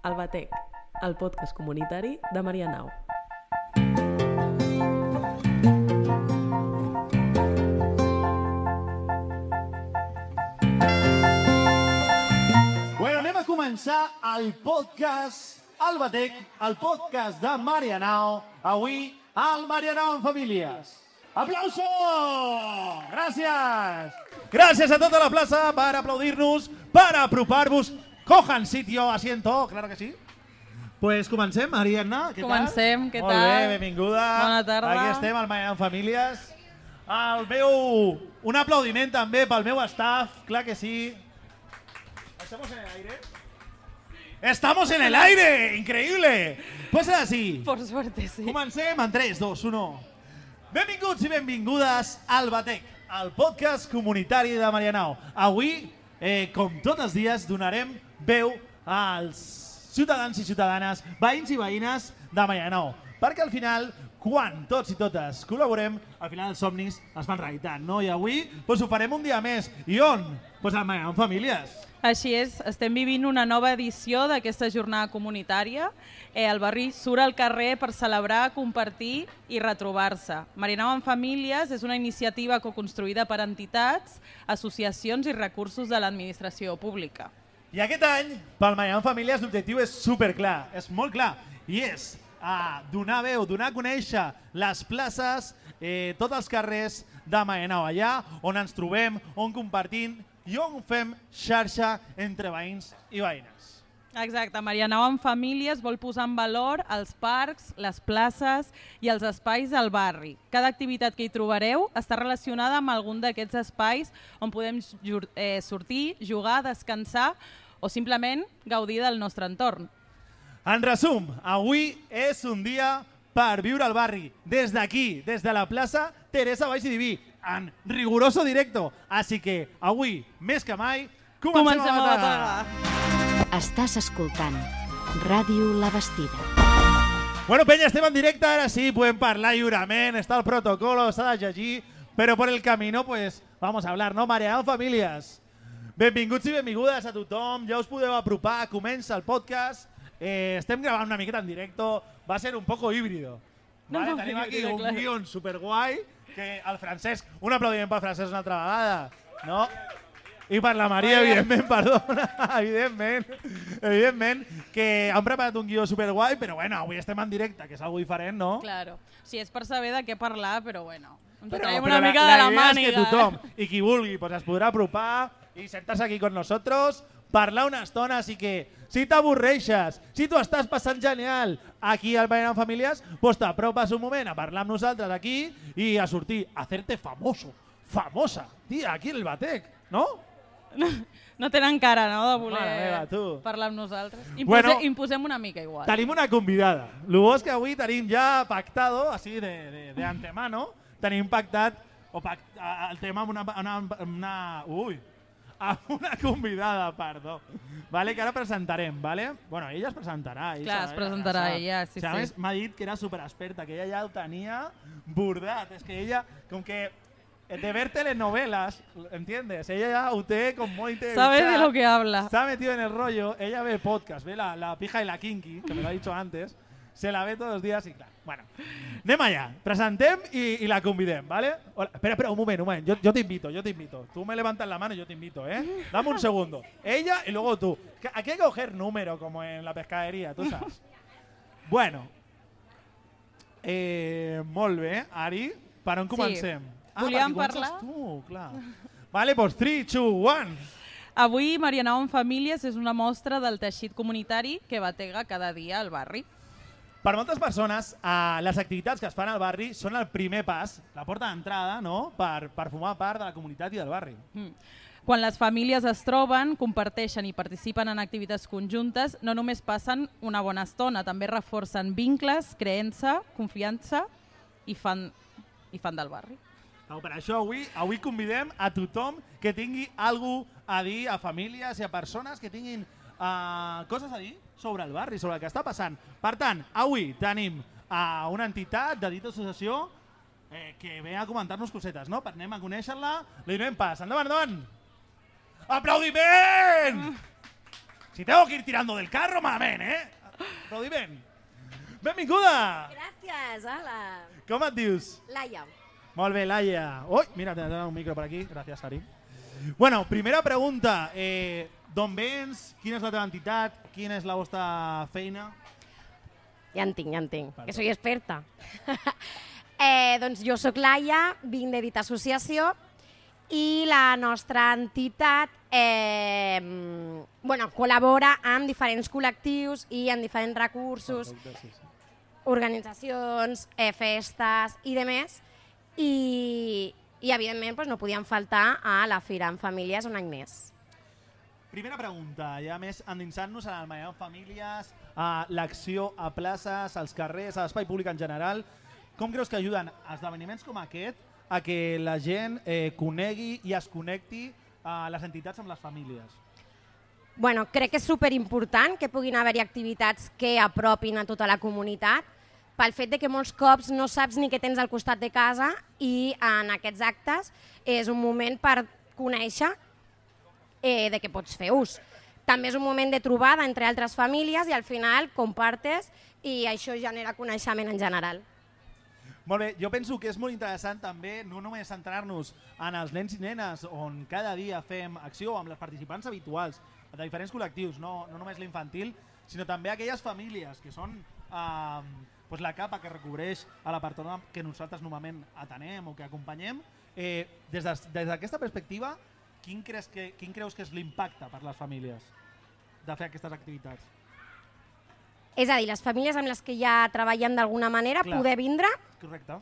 El Batec, el podcast comunitari de Marianao. Bueno, anem a començar el podcast El Batec, el podcast de Marianao. Avui, al Marianao en Famílies. ¡Aplauso! Gràcies! Gràcies a tota la plaça per aplaudir-nos, per apropar-vos. Cojan sitio, asiento, claro que sí. Pues comencem, Ariadna, què tal? Comencem, què tal? Molt bé, benvinguda. Bona tarda. Aquí estem, al Marianao en Famílies. Un aplaudiment també pel meu staff, clar que sí. ¿Estamos en el aire? ¡Estamos en el aire! ¡Increïble! Pues ara sí. Por suerte, sí. Comencem en 3, 2, 1. Benvinguts i benvingudes al Batec, el podcast comunitari de Marianao. Avui, com tots els dies, donarem veu als ciutadans i ciutadanes, veïns i veïnes de Marianao. Perquè al final, quan tots i totes col·laborem, al final els somnis es fan realitat, no? I avui ho farem un dia més. I on? Pues al Marianao en Famílies. Així és, estem vivint una nova edició d'aquesta jornada comunitària. El barri surt al carrer per celebrar, compartir i retrobar-se. Marianao en Famílies és una iniciativa coconstruïda per entitats, associacions i recursos de l'administració pública. I aquest any, pel Marianao en Famílies, l'objectiu és superclar, és molt clar, i és donar veu, donar a conèixer les places, tots els carrers de Marianao, allà on ens trobem, on compartim i on fem xarxa entre veïns i veïnes. Exacte, Marianao en Famílies vol posar en valor els parcs, les places i els espais del barri. Cada activitat que hi trobareu està relacionada amb algun d'aquests espais on podem sortir, jugar, descansar o simplement gaudir del nostre entorn. En resum, avui és un dia per viure al barri, des d'aquí, des de la plaça Teresa Baix i Diví, en riguroso directo. Així que avui, més que mai, comencem a matar! Estàs escoltant Ràdio La Bastida. Bueno, penya, estem en directe, ara sí, podem parlar lliurement, està el protocolo, s'ha de llegir, però per el camino, pues, vamos a hablar, ¿no? Marianao Famílies. Benvinguts i benvingudes a tothom, ja us podeu apropar, comença el podcast. Estem gravant una miqueta en directo, va ser un poco híbrido. Vale? Tenim aquí un guion superguai, que el Francesc, un aplaudiment pel Francesc una altra vegada, no? I per la Maria, evidentment, perdona, evidentment, que han preparat un guió superguai, però bueno, avui estem en directe, que és algo diferent, no? Claro, sí, és per saber de què parlar, però bueno, ens Però traiem una mica de la màniga. La idea és que tothom, i qui vulgui, pues es podrà apropar i sentar-se aquí con nosotros, parlar una estona, així que si t'avorreixes, si tu estàs passant genial aquí al Marianao en Famílies, pues t'apropes un moment a parlar amb nosaltres aquí i a sortir, a hacerte famoso, famosa, tia, aquí en el Batec, no? No tenen cara, no?, de voler Mare meva, tu. parlar amb nosaltres. Imposem una mica igual. Tenim una convidada. El bo és que avui tenim ja pactado, així de antemano, tenim pactat el tema amb una convidada, perdó. Vale, que ara presentarem, vale? Bueno, ella es presentarà. Clar, es presentarà ella, sí, o sea, sí. M'ha dit que era superexperta, que ella ja ho tenia bordat. És que ella, com que de ver telenovelas, ¿entiendes? Ella ya usted con muy sabe de lo que habla. Está metido en el rollo, ella ve podcast, ve la pija y la kinky, que me lo ha dicho antes, se la ve todos los días y claro. Bueno, anem allà, presentem i la convidem, ¿vale? Hola, espera, un moment, yo te invito. Tú me levantas la mano y yo te invito, ¿eh? Dame un segundo. Ella y luego tú. Aquí hay que coger número, como en la pescadería, tú sabes. Bueno, molt bé, Ari, per on comencem? Sí. Volíem parlar? Tu, clar. Vale, pues 3, 2, 1. Avui Marianao en Famílies és una mostra del teixit comunitari que batega cada dia al barri. Per moltes persones, les activitats que es fan al barri són el primer pas, la porta d'entrada, no?, per formar part de la comunitat i del barri. Quan les famílies es troben, comparteixen i participen en activitats conjuntes, no només passen una bona estona, també reforcen vincles, creença, confiança i fan del barri. Per això avui convidem a tothom que tingui alguna cosa a dir, a famílies i a persones que tinguin coses a dir sobre el barri, sobre el que està passant. Per tant, avui tenim una entitat de dita associació que ve a comentar-nos cosetes, no? Anem a conèixer-la, li donem pas. Endavant! Aplaudiment! Si tengo que ir tirando del carro, malament, Aplaudiment. Benvinguda! Gràcies, hola. Com et dius? Laia. Molt bé, Laia. Ui, mira, te dono un micro per aquí. Gràcies, Sari. Bueno, primera pregunta. D'on vens? Quina és la teva entitat? Quina és la vostra feina? Ja en tinc, Vale. que soy experta. Doncs jo sóc Laia, vinc de Dit Associació i la nostra entitat col·labora amb diferents col·lectius i amb diferents recursos, organitzacions, festes i demés. I evidentment no podien faltar a la Fira en Famílies un any més. Primera pregunta, ja més endinsant-nos en el Maria en Famílies, a l'acció a places, als carrers, a l'espai públic en general. Com creus que ajuden esdeveniments com aquest a que la gent conegui i es connecti a les entitats amb les famílies? Bueno, crec que és superimportant que puguin haver-hi activitats que apropin a tota la comunitat, pel fet de que molts cops no saps ni què tens al costat de casa i en aquests actes és un moment per conèixer de què pots fer ús. També és un moment de trobada entre altres famílies i al final compartes i això genera coneixement en general. Molt bé, jo penso que és molt interessant també no només centrar-nos en els nens i nenes on cada dia fem acció amb les participants habituals de diferents col·lectius, no només l'infantil, sinó també aquelles famílies que són la capa que recobreix a la persona que nosaltres normalment atenem o que acompanyem. Des d'aquesta perspectiva, quin creus que és l'impacte per les famílies de fer aquestes activitats? És a dir, les famílies amb les que ja treballem d'alguna manera, poder vindre. Correcte.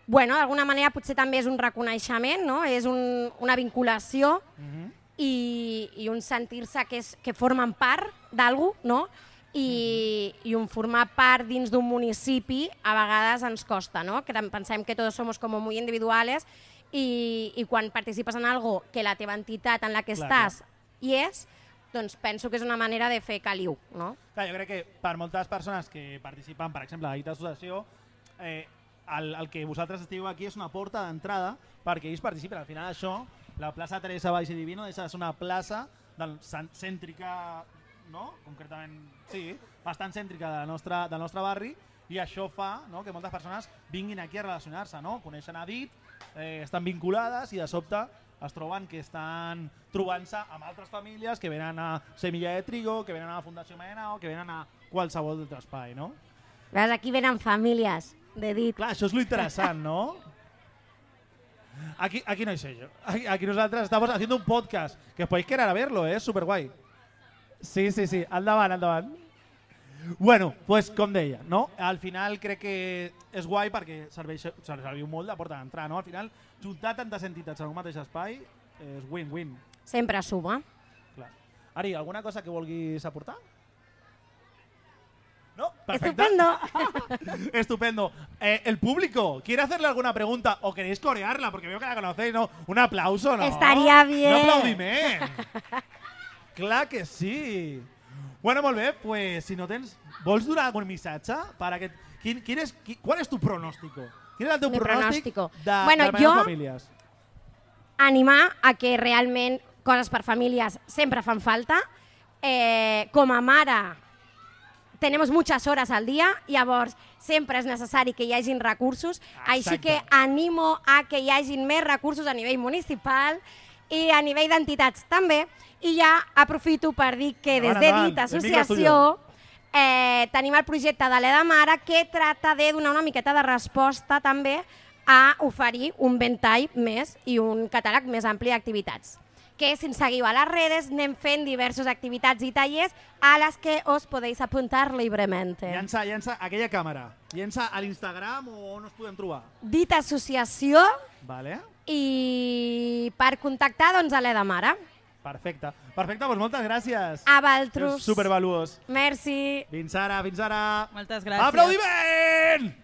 Bueno, d'alguna manera potser també és un reconeixement, no? És una vinculació i un sentir-se que formen part d'algú, no? I un formar part dins d'un municipi a vegades ens costa, no? Que pensem que tots som com molt individuals i quan participes en algo que la teva entitat en la que estàs hi és, doncs penso que és una manera de fer caliu, no? Clar, jo crec que per moltes persones que participen, per exemple, a la Dit Associació, el que vosaltres estigueu aquí és una porta d'entrada perquè ells participen. Al final això, la plaça Teresa Valls i Divino deixa de ser una plaça cèntrica, no? Concretament, sí, bastant cèntrica del nostre barri, i això fa que moltes persones vinguin aquí a relacionar-se, no? Coneixen a Dit, estan vinculades i de sobte es troben que estan trobant-se amb altres famílies que venen a Semilla de Trigo, que venen a la Fundació Maenao, que venen a qualsevol altre espai, no? Veus, aquí venen famílies de Dit. Clar, això és lo interessant, no? Aquí no hi sé jo. Aquí nosaltres estamos haciendo un podcast, que podéis quedar a verlo, es super guai. Sí, endavant. Bueno, pues com deia, no? Al final crec que és guai perquè serviu molt de porta d'entrada, no? Al final, juntar tantes entitats en un mateix espai és win-win. Sempre suma. Clar. Ari, alguna cosa que vulguis aportar? No? Perfecte. Estupendo. Estupendo. El público, ¿quiere hacerle alguna pregunta o queréis corearla? Porque veo que la conocéis, ¿no? Un aplauso, ¿no? Estaría bien. Un aplaudiment. Clar que sí. Bueno, molt bé, pues si no tens... Vols donar algun missatge? ¿Cuál es tu pronóstico? ¿Quin és el teu pronòstic de les famílies? Animar a que realment coses per famílies sempre fan falta. Com a mare, tenemos muchas horas al día, llavors sempre és necessari que hi hagin recursos, així que animo a que hi hagin més recursos a nivell municipal i a nivell d'entitats també. I ja aprofito per dir que des de Dit Associació tenim el projecte de l'Eda Mare que trata de donar una miqueta de resposta també a oferir un ventall més i un catàleg més ampli d'activitats. Que si ens seguiu a les redes anem fent diverses activitats i tallers a les que os podeu apuntar libremente. Llença aquella càmera. Llença a l'Instagram o on us podem trobar? Dit Associació. Vale. I per contactar doncs a l'Eda Mare. Perfecte, doncs moltes gràcies. A vosaltres. És supervaluós. Merci. Fins ara. Moltes gràcies. Aplaudiment!